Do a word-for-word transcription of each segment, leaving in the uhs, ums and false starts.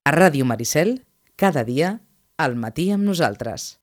A Ràdio Maricel, cada dia, al matí amb nosaltres.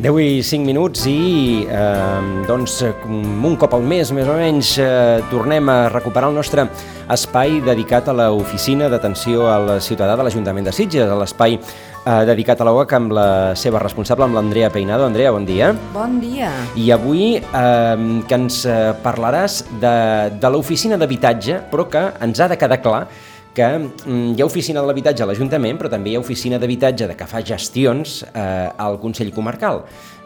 deu i cinc minuts i eh, doncs, un cop al mes, més o menys, eh, tornem a recuperar el nostre espai dedicat a l'oficina d'atenció al ciutadà de l'Ajuntament de Sitges, a l'espai eh, dedicat a l'O A C amb la seva responsable, amb l'Andrea Peinado. Andrea, bon dia. Bon dia. I avui eh, que ens parlaràs de, de l'oficina d'habitatge, però que ens ha de quedar clar que hi ha oficina de l'habitatge a l'Ajuntament, però també hi ha oficina d'habitatge de que fa gestions eh, al Consell Comarcal.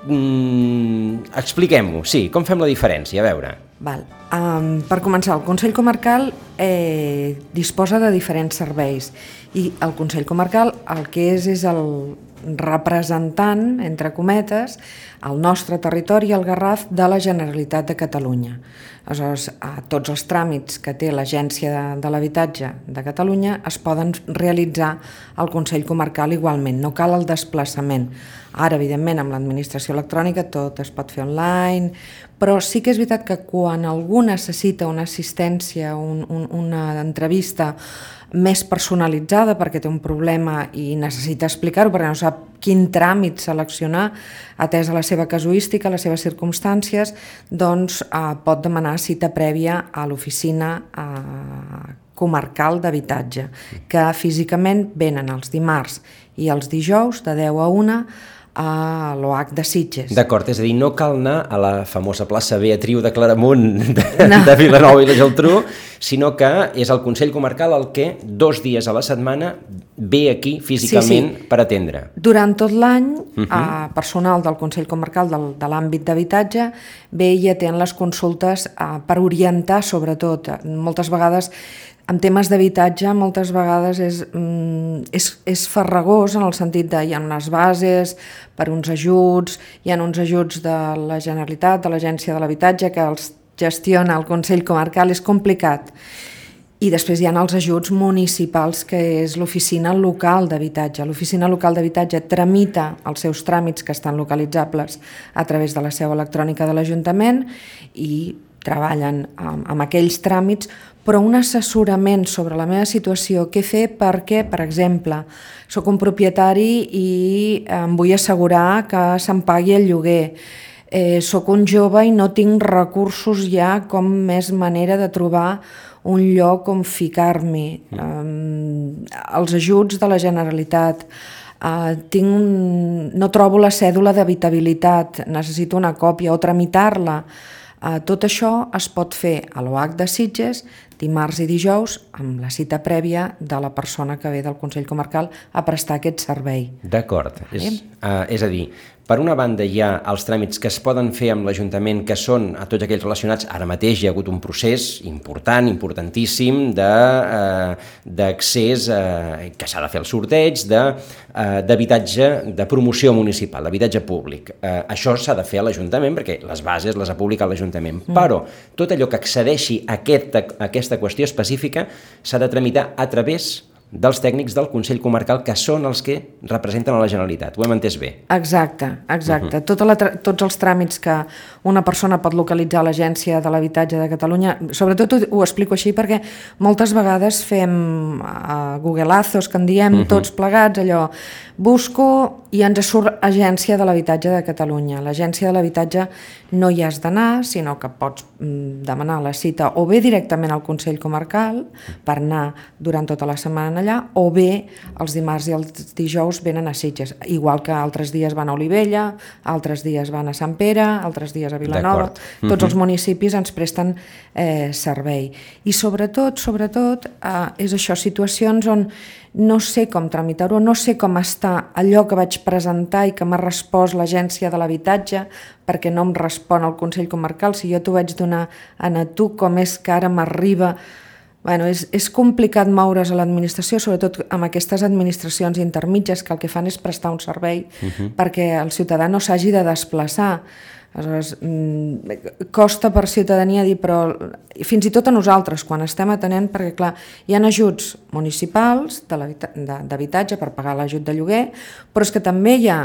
Mm, expliquem-ho, sí, com fem la diferència? A veure. Val. Um, per començar, el Consell Comarcal eh, disposa de diferents serveis i el Consell Comarcal el que és és el representant, entre cometes, al nostre territori, el Garraf, de la Generalitat de Catalunya. Aleshores, tots els tràmits que té l'Agència de, de l'Habitatge de Catalunya es poden realitzar al Consell Comarcal igualment, no cal el desplaçament. Ara, evidentment, amb l'administració electrònica tot es pot fer online, però sí que és veritat que quan algú necessita una assistència, un, un, una entrevista més personalitzada perquè té un problema i necessita explicar-ho perquè no sap quin tràmit seleccionar atès a la seva casuística, a les seves circumstàncies, doncs eh, pot demanar cita prèvia a l'oficina eh, comarcal d'habitatge, que físicament venen els dimarts i els dijous de deu a una a l'O A C de Sitges. D'acord, és a dir, no cal anar a la famosa plaça Beatriu de Claramunt de, no. de Vilanova i la Geltrú, sinó que és el Consell Comarcal el que dos dies a la setmana ve aquí físicament sí, sí. per atendre. Durant tot l'any, uh-huh. eh, personal del Consell Comarcal del, de l'àmbit d'habitatge ve i atén les consultes eh, per orientar, sobretot. Moltes vegades en temes d'habitatge moltes vegades és, mm, és, és farragós en el sentit de hi ha unes bases per uns ajuts, hi ha uns ajuts de la Generalitat, de l'Agència de l'Habitatge que els gestiona el Consell Comarcal, és complicat. I després hi ha els ajuts municipals, que és l'oficina local d'habitatge. L'oficina local d'habitatge tramita els seus tràmits que estan localitzables a través de la seu electrònica de l'Ajuntament i treballen amb, amb aquells tràmits, però un assessorament sobre la meva situació, què fer perquè, per exemple, sóc un propietari i em vull assegurar que se'm pagui el lloguer, eh, sóc un jove i no tinc recursos ja com més manera de trobar un lloc on ficar-m'hi, eh, els ajuts de la Generalitat, eh, tinc un... no trobo la cèdula d'habitabilitat, necessito una còpia o tramitar-la. Uh, tot això es pot fer a l'O A C de Sitges dimarts i dijous amb la cita prèvia de la persona que ve del Consell Comarcal a prestar aquest servei. D'acord. És, uh, és a dir, per una banda hi ha els tràmits que es poden fer amb l'Ajuntament que són a tots aquells relacionats. Ara mateix hi ha hagut un procés important, importantíssim de, uh, d'accés uh, que s'ha de fer el sorteig de, uh, d'habitatge de promoció municipal, d'habitatge públic. Uh, això s'ha de fer a l'Ajuntament perquè les bases les ha publicat l'Ajuntament. Mm. Però tot allò que accedeixi a aquesta, a aquesta qüestió específica s'ha de tramitar a través dels tècnics del Consell Comarcal, que són els que representen a la Generalitat. Ho hem entès bé? Exacte, exacte. Uh-huh. Tota la tra- tots els tràmits que una persona pot localitzar a l'Agència de l'Habitatge de Catalunya, sobretot ho, ho explico així perquè moltes vegades fem uh, googlazos, que en diem uh-huh. tots plegats, allò, busco i ens surt Agència de l'Habitatge de Catalunya. L'Agència de l'Habitatge no hi has d'anar, sinó que pots mm, demanar la cita o bé directament al Consell Comarcal per anar durant tota la setmana allà, o bé els dimarts i els dijous venen a Sitges, igual que altres dies van a Olivella, altres dies van a Sant Pere, altres dies a Vilanova. Tots uh-huh. els municipis ens presten eh, servei. I sobretot, sobretot, eh, és això, situacions on no sé com tramitar-ho, no sé com està allò que vaig presentar i que m'ha respost l'Agència de l'Habitatge, perquè no em respon el Consell Comarcal. Si jo t'ho vaig donar a tu, com és que ara m'arriba... Bueno, és, és complicat moure's a l'administració, sobretot amb aquestes administracions intermitges que el que fan és prestar un servei uh-huh. perquè el ciutadà no s'hagi de desplaçar. Aleshores, costa per ciutadania dir, però fins i tot a nosaltres, quan estem atenent, perquè clar, hi ha ajuts municipals d'habitatge per pagar l'ajut de lloguer, però és que també hi ha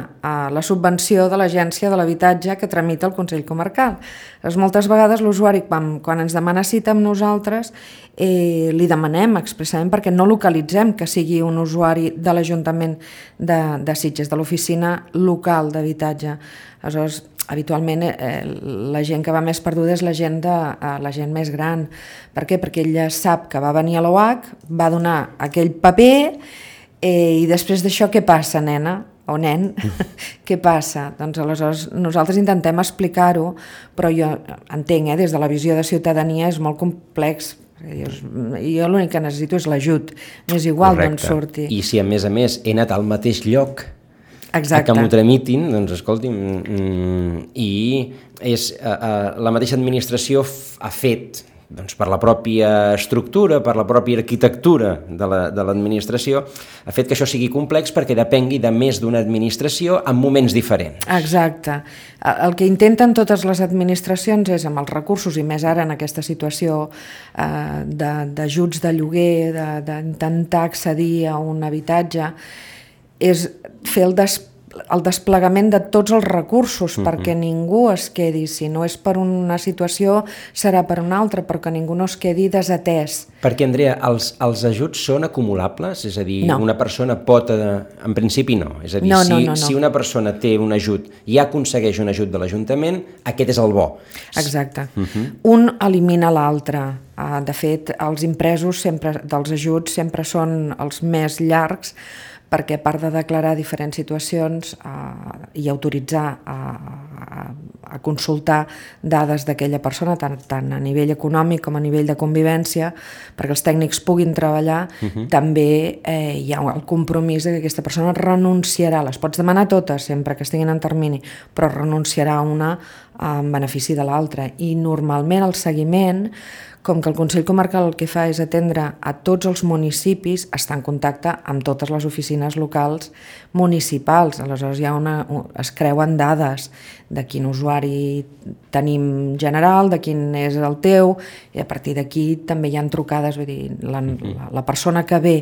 la subvenció de l'Agència de l'Habitatge que tramita el Consell Comarcal. Aleshores, moltes vegades l'usuari, quan, quan ens demana cita amb nosaltres, eh, li demanem expressament perquè no localitzem que sigui un usuari de l'Ajuntament de, de Sitges, de l'oficina local d'habitatge. Aleshores, habitualment eh, la gent que va més perduda és la gent, de, eh, la gent més gran. Per què? Perquè ella sap que va venir a l'O H, va donar aquell paper eh, i després d'això què passa, nena? O nen? Què passa? Doncs aleshores nosaltres intentem explicar-ho, però jo entenc, eh, des de la visió de ciutadania és molt complex. Jo l'únic que necessito és l'ajut, m'és igual d'on surti. I si a més a més he anat al mateix lloc Exacte. que m'ho tramitin, doncs escolti'm, mm, i és, uh, uh, la mateixa administració f- ha fet, doncs per la pròpia estructura, per la pròpia arquitectura de la, de l'administració, ha fet que això sigui complex perquè depengui de més d'una administració en moments diferents. Exacte. El que intenten totes les administracions és, amb els recursos, i més ara en aquesta situació eh, de, d'ajuts de lloguer, de, d'intentar accedir a un habitatge, és fer el, des, el desplegament de tots els recursos mm-hmm. perquè ningú es quedi, si no és per una situació serà per una altra, però que ningú no es quedi desatès. Perquè, Andrea, els, els ajuts són acumulables? És a dir, no. una persona pot... En principi no. És a dir, no, si, no, no, no. si una persona té un ajut i aconsegueix un ajut de l'Ajuntament, aquest és el bo. Exacte. Uh-huh. Un elimina l'altre. De fet, els impresos sempre, dels ajuts sempre són els més llargs, perquè a part de declarar diferents situacions eh, i autoritzar a, a, a consultar dades d'aquella persona, tant, tant a nivell econòmic com a nivell de convivència, perquè els tècnics puguin treballar, uh-huh. també eh, hi ha el compromís de que aquesta persona renunciarà, les pots demanar totes sempre que estiguin en termini, però renunciarà a una en benefici de l'altra. I normalment el seguiment, com que el Consell Comarcal el que fa és atendre a tots els municipis, està en contacte amb totes les oficines locals municipals. Aleshores hi ha una, es creuen dades de quin usuari tenim general, de quin és el teu, i a partir d'aquí també hi ha trucades, vull dir, la, la, la persona que ve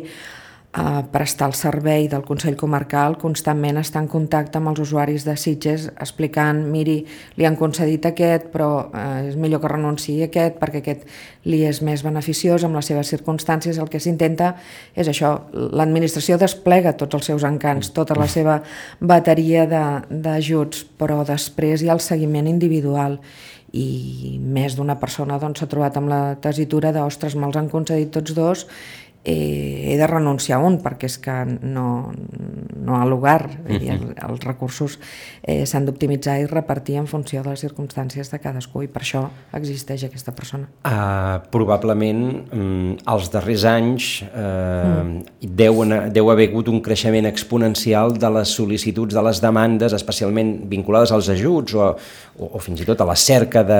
a prestar el servei del Consell Comarcal constantment està en contacte amb els usuaris de Sitges explicant, miri, li han concedit aquest, però eh, és millor que renunciï a aquest perquè aquest li és més beneficiós amb les seves circumstàncies. El que s'intenta és això, l'administració desplega tots els seus encants, tota la seva bateria de, d'ajuts, però després hi ha el seguiment individual i més d'una persona doncs, s'ha trobat amb la tessitura de, ostres, me'ls han concedit tots dos, Eh, he de renunciar a un perquè és que no, no ha lugar. Uh-huh. els, els recursos eh, s'han d'optimitzar i repartir en funció de les circumstàncies de cadascú i per això existeix aquesta persona. Uh, probablement um, els darrers anys uh, mm. deu, deu haver hagut un creixement exponencial de les sol·licituds, de les demandes, especialment vinculades als ajuts o, o, o fins i tot a la cerca de,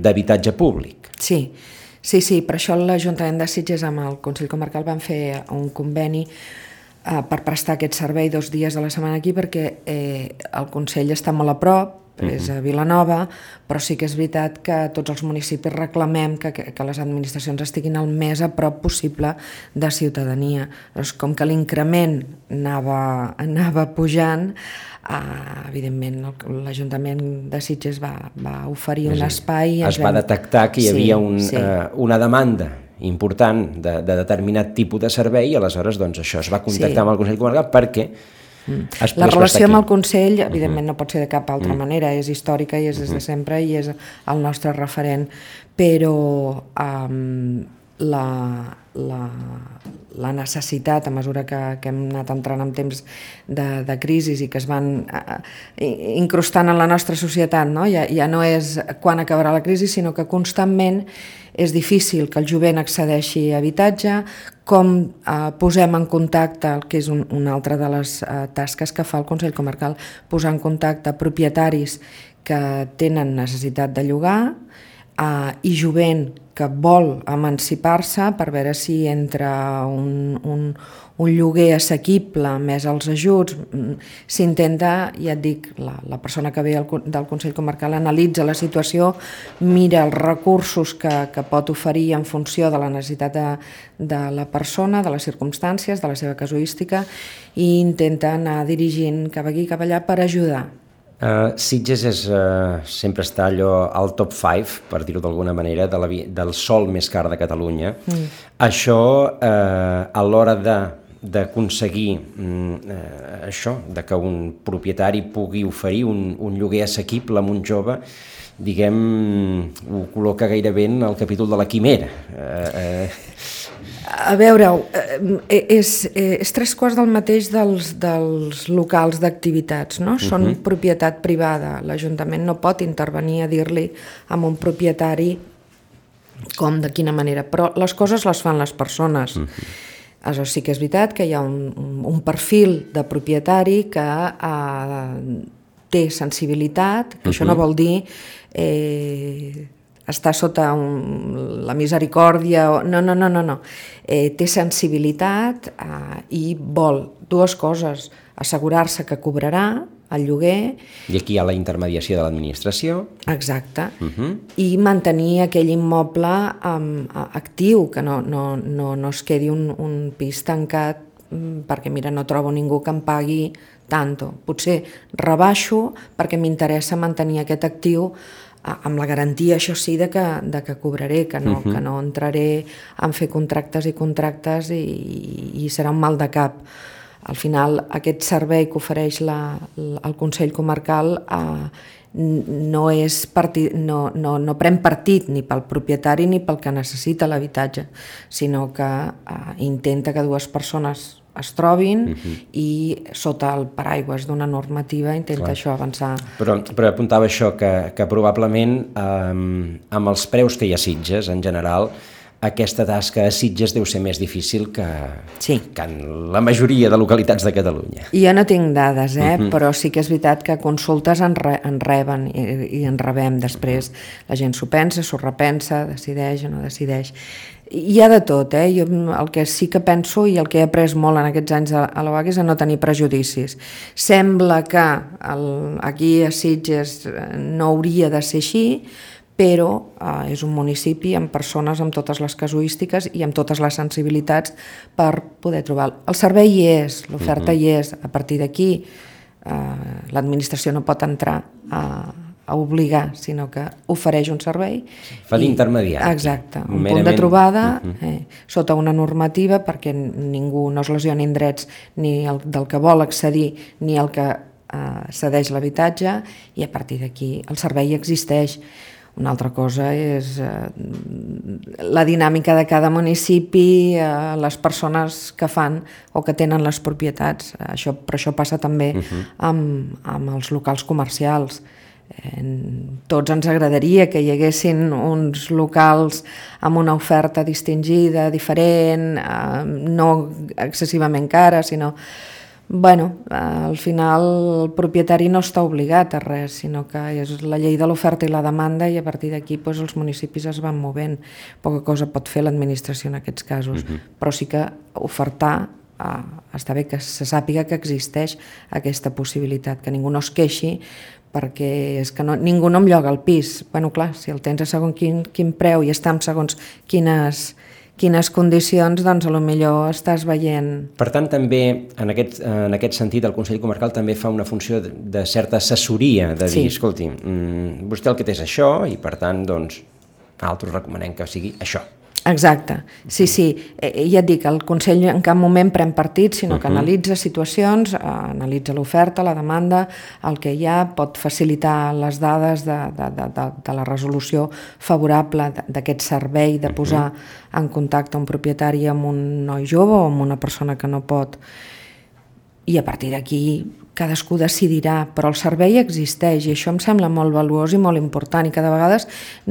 d'habitatge públic. Sí. Sí, sí, per això l'Ajuntament de Sitges amb el Consell Comarcal van fer un conveni eh, per prestar aquest servei dos dies a la setmana aquí perquè eh, el Consell està molt a prop, uh-huh. és a Vilanova, però sí que és veritat que tots els municipis reclamem que, que, que les administracions estiguin el més a prop possible de ciutadania. Doncs com que l'increment anava, anava pujant, Uh, evidentment l'Ajuntament de Sitges va, va oferir un espai. Es va detectar que hi sí, havia un, sí. uh, una demanda important de, de determinat tipus de servei i aleshores doncs, això es va contactar sí. amb el Consell Comarcal perquè mm. es la relació amb el Consell evidentment uh-huh. no pot ser de cap altra uh-huh. manera, és històrica i és des de sempre i és el nostre referent, però um, la, la, la necessitat, a mesura que, que hem anat entrant en temps de, de crisi i que es van uh, incrustant en la nostra societat, no? Ja, ja no és quan acabarà la crisi, sinó que constantment és difícil que el jovent accedeixi a habitatge, com eh, posem en contacte, que és un, una altra de les eh, tasques que fa el Consell Comarcal, posar en contacte propietaris que tenen necessitat de llogar eh, i jovent que vol emancipar-se per veure si entre un, un, un lloguer assequible més els ajuts s'intenta, ja et dic, la, la persona que ve al, del Consell Comarcal analitza la situació, mira els recursos que, que pot oferir en funció de la necessitat de, de la persona, de les circumstàncies, de la seva casuística, i intenta anar dirigint cap aquí, cap allà per ajudar. Uh, Sitges és, uh, sempre està allò al top cinc, per dir-ho d'alguna manera, de la, del sòl més car de Catalunya. Mm. Això, uh, a l'hora de d'aconseguir uh, això, de que un propietari pugui oferir un, un lloguer assequible a un jove, diguem, ho col·loca gairebé en el capítol de la quimera. Uh, uh, A veure, és, és tres quarts del mateix dels, dels locals d'activitats, no? Són uh-huh. propietat privada. L'Ajuntament no pot intervenir a dir-li a un propietari com, de quina manera, però les coses les fan les persones. Uh-huh. Aleshores, sí que és veritat que hi ha un, un perfil de propietari que eh, té sensibilitat, que uh-huh. això no vol dir eh, estar sota un, la misericòrdia, o, no, no, no, no, no. Eh, té sensibilitat eh, i vol dues coses, assegurar-se que cobrarà el lloguer. I aquí hi ha la intermediació de l'administració. Exacte. Uh-huh. I mantenir aquell immoble um, actiu, que no, no, no, no es quedi un, un pis tancat um, perquè, mira, no trobo ningú que em pagui tanto. Potser rebaixo perquè m'interessa mantenir aquest actiu amb la garantia, això sí, de que, de que cobraré, que no, uh-huh. que no entraré a fer contractes i contractes i, i serà un mal de cap. Al final, aquest servei que ofereix la, el Consell Comarcal eh, no, és partit, no, no, no pren partit ni pel propietari ni pel que necessita l'habitatge, sinó que eh, intenta que dues persones es trobin uh-huh. i sota el paraigües d'una normativa intenta Clar. Això avançar. Però, però apuntava això, que, que probablement eh, amb els preus que hi ha a Sitges en general, aquesta tasca a Sitges deu ser més difícil que, sí. que en la majoria de localitats de Catalunya. Jo no tinc dades, eh? uh-huh. però sí que és veritat que consultes en, re, en reben i, i en rebem després. Uh-huh. La gent s'ho pensa, s'ho repensa, decideix o no decideix. Hi ha de tot, eh? Jo el que sí que penso i el que he après molt en aquests anys a la U A C és a no tenir prejudicis. Sembla que el, aquí a Sitges no hauria de ser així, però eh, és un municipi amb persones amb totes les casuístiques i amb totes les sensibilitats per poder trobar. El servei hi és, l'oferta uh-huh. hi és. A partir d'aquí eh, l'administració no pot entrar a a obligar, sinó que ofereix un servei. Fa d'intermediari. Exacte, un merament... punt de trobada uh-huh. eh, sota una normativa perquè ningú no es lesionin drets ni el del que vol accedir ni el que eh, cedeix l'habitatge i a partir d'aquí el servei existeix. Una altra cosa és eh, la dinàmica de cada municipi, eh, les persones que fan o que tenen les propietats. Això, però això passa també uh-huh. amb, amb els locals comercials. Eh, tots ens agradaria que hi haguessin uns locals amb una oferta distingida, diferent, eh, no excessivament cara, sinó... Bueno, eh, al final el propietari no està obligat a res, sinó que és la llei de l'oferta i la demanda i a partir d'aquí doncs, els municipis es van movent. Poca cosa pot fer l'administració en aquests casos, uh-huh. però sí que ofertar, eh, està bé que se sàpiga que existeix aquesta possibilitat, que ningú no es queixi perquè és que no, ningú no em lloga el pis. Bueno, clar, si el tens a segons quin, quin preu i està en segons quines... quines condicions, doncs, a lo millor estàs veient... Per tant, també, en aquest, en aquest sentit, el Consell Comarcal també fa una funció de, de certa assessoria, de dir, sí. escolti, mmm, vostè el que té és això i, per tant, doncs, nosaltres recomanem que sigui això. Exacte, sí, sí, eh, ja et dic, el Consell en cap moment pren partit, sinó que uh-huh. analitza situacions, eh, analitza l'oferta, la demanda, el que hi ha, pot facilitar les dades de, de, de, de, de la resolució favorable d'aquest servei, de posar uh-huh. en contacte un propietari amb un noi jove o amb una persona que no pot, i a partir d'aquí cadascú decidirà, però el servei existeix i això em sembla molt valuós i molt important i cada vegada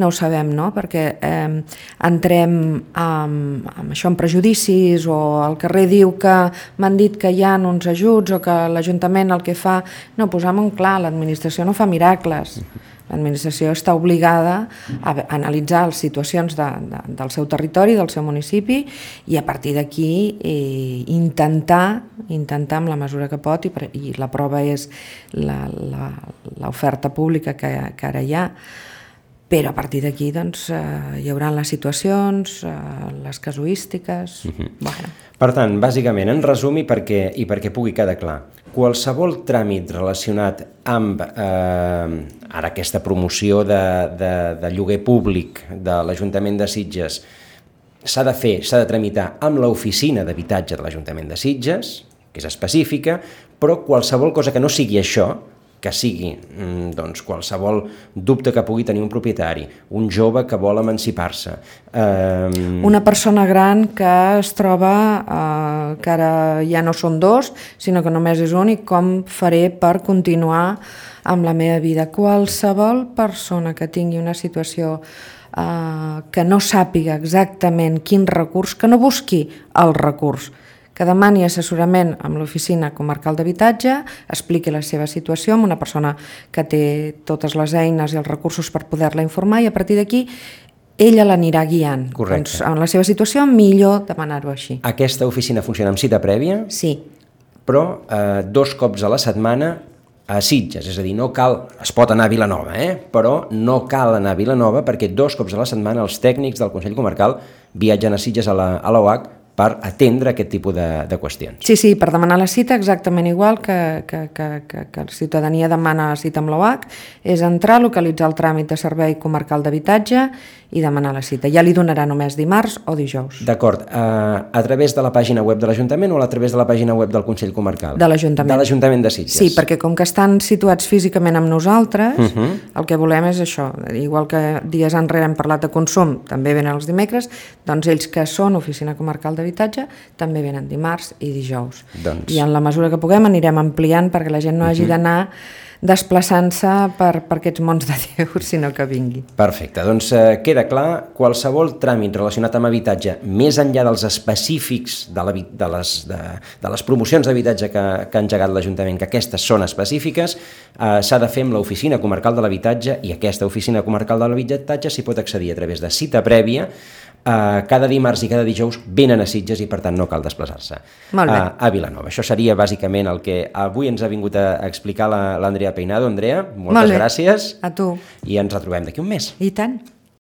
no ho sabem, no? Perquè eh, entrem amb, amb això, amb prejudicis, o el carrer diu que m'han dit que hi ha uns ajuts o que l'Ajuntament el que fa... No, posem-ho clar, l'administració no fa miracles. L'administració està obligada a analitzar les situacions de, de, del seu territori, del seu municipi, i a partir d'aquí eh, intentar, intentar amb la mesura que pot, i, i la prova és l'oferta pública que, que ara hi ha, però a partir d'aquí doncs, eh, hi haurà les situacions, eh, les casuístiques... Uh-huh. Bueno. Per tant, bàsicament, en resum i perquè, i perquè pugui quedar clar, qualsevol tràmit relacionat amb eh, ara aquesta promoció de, de, de lloguer públic de l'Ajuntament de Sitges s'ha de fer, s'ha de tramitar amb l'oficina d'habitatge de l'Ajuntament de Sitges, que és específica, però qualsevol cosa que no sigui això, que sigui doncs, qualsevol dubte que pugui tenir un propietari, un jove que vol emancipar-se. Eh... Una persona gran que es troba eh, que ara ja no són dos, sinó que només és un, i com faré per continuar amb la meva vida. Qualsevol persona que tingui una situació eh, que no sàpiga exactament quin recurs, que no busqui el recurs, que demani assessorament amb l'Oficina Comarcal d'Habitatge, expliqui la seva situació amb una persona que té totes les eines i els recursos per poder-la informar, i a partir d'aquí ella l'anirà guiant. Correcte. Doncs, en la seva situació, millor demanar-ho així. Aquesta oficina funciona amb cita prèvia? Sí. Però eh, dos cops a la setmana a Sitges, és a dir, no cal, es pot anar a Vilanova, eh? Però no cal anar a Vilanova perquè dos cops a la setmana els tècnics del Consell Comarcal viatgen a Sitges a la, a l'O H per atendre aquest tipus de, de qüestions. Sí, sí, per demanar la cita exactament igual que, que, que, que, que la ciutadania demana cita amb l'O H, és entrar, localitzar el tràmit de servei comarcal d'habitatge i demanar la cita. Ja li donarà només dimarts o dijous. D'acord. Uh, a través de la pàgina web de l'Ajuntament o a través de la pàgina web del Consell Comarcal? De l'Ajuntament. De l'Ajuntament de Sitges. Sí, perquè com que estan situats físicament amb nosaltres, uh-huh. el que volem és això. Igual que dies enrere hem parlat de consum, també venen els dimecres, doncs ells que són Oficina Comarcal d'Habitatge també venen dimarts i dijous. Doncs... I en la mesura que puguem anirem ampliant perquè la gent no hagi uh-huh. d'anar desplaçant-se per, per aquests mons de Déu, sinó que vingui. Perfecte, doncs eh, queda clar, qualsevol tràmit relacionat amb habitatge, més enllà dels específics de, la, de, les, de, de les promocions d'habitatge que, que ha engegat l'Ajuntament, que aquestes són específiques, eh, s'ha de fer amb l'Oficina Comarcal de l'Habitatge, i aquesta Oficina Comarcal de l'Habitatge s'hi pot accedir a través de cita prèvia. Uh, cada dimarts i cada dijous venen a Sitges i per tant no cal desplaçar-se uh, a Vilanova. Això seria bàsicament el que avui ens ha vingut a explicar l'Andrea Peinado. Andrea, moltes Molt gràcies. A tu. I ens retrobem d'aquí un mes. I tant.